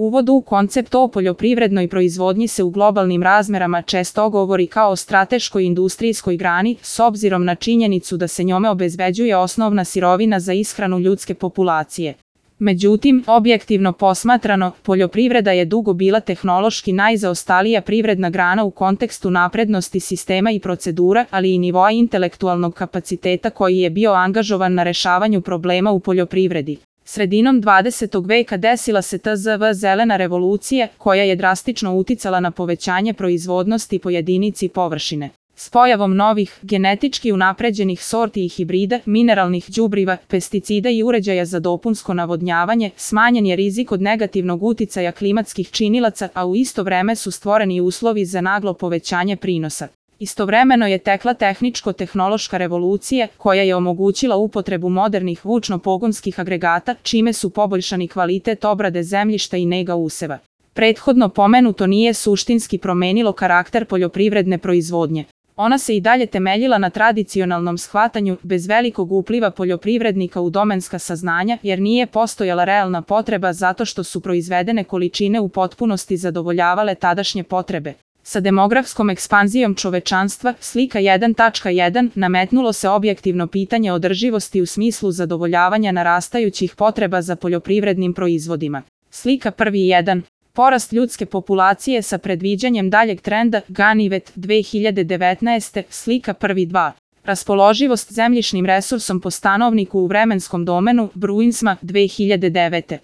Uvod u koncept o poljoprivrednoj proizvodnji se u globalnim razmerama često govori kao o strateškoj industrijskoj grani, s obzirom na činjenicu da se njome obezbeđuje osnovna sirovina za ishranu ljudske populacije. Međutim, objektivno posmatrano, poljoprivreda je dugo bila tehnološki najzaostalija privredna grana u kontekstu naprednosti sistema i procedura, ali i nivoa intelektualnog kapaciteta koji je bio angažovan na rešavanju problema u poljoprivredi. Sredinom 20. veka desila se tzv. Zelena revolucija, koja je drastično uticala na povećanje proizvodnosti po jedinici površine. S pojavom novih, genetički unapređenih sorti i hibrida, mineralnih đubriva, pesticida i uređaja za dopunsko navodnjavanje, smanjen je rizik od negativnog uticaja klimatskih činilaca, a u isto vreme su stvoreni uslovi za naglo povećanje prinosa. Istovremeno je tekla tehničko-tehnološka revolucija, koja je omogućila upotrebu modernih vučno-pogonskih agregata, čime su poboljšani kvalitet obrade zemljišta i nega useva. Prethodno pomenuto nije suštinski promenilo karakter poljoprivredne proizvodnje. Ona se i dalje temeljila na tradicionalnom shvatanju, bez velikog upliva poljoprivrednika u domenska saznanja, jer nije postojala realna potreba zato što su proizvedene količine u potpunosti zadovoljavale tadašnje potrebe. Sa demografskom ekspanzijom čovečanstva, slika 1.1, nametnulo se objektivno pitanje održivosti u smislu zadovoljavanja narastajućih potreba za poljoprivrednim proizvodima. Slika 1.1. Porast ljudske populacije sa predviđanjem daljeg trenda, Ganivet, 2019. Slika 1.2. Raspoloživost zemljišnim resursom po stanovniku u vremenskom domenu, Bruinsma, 2009.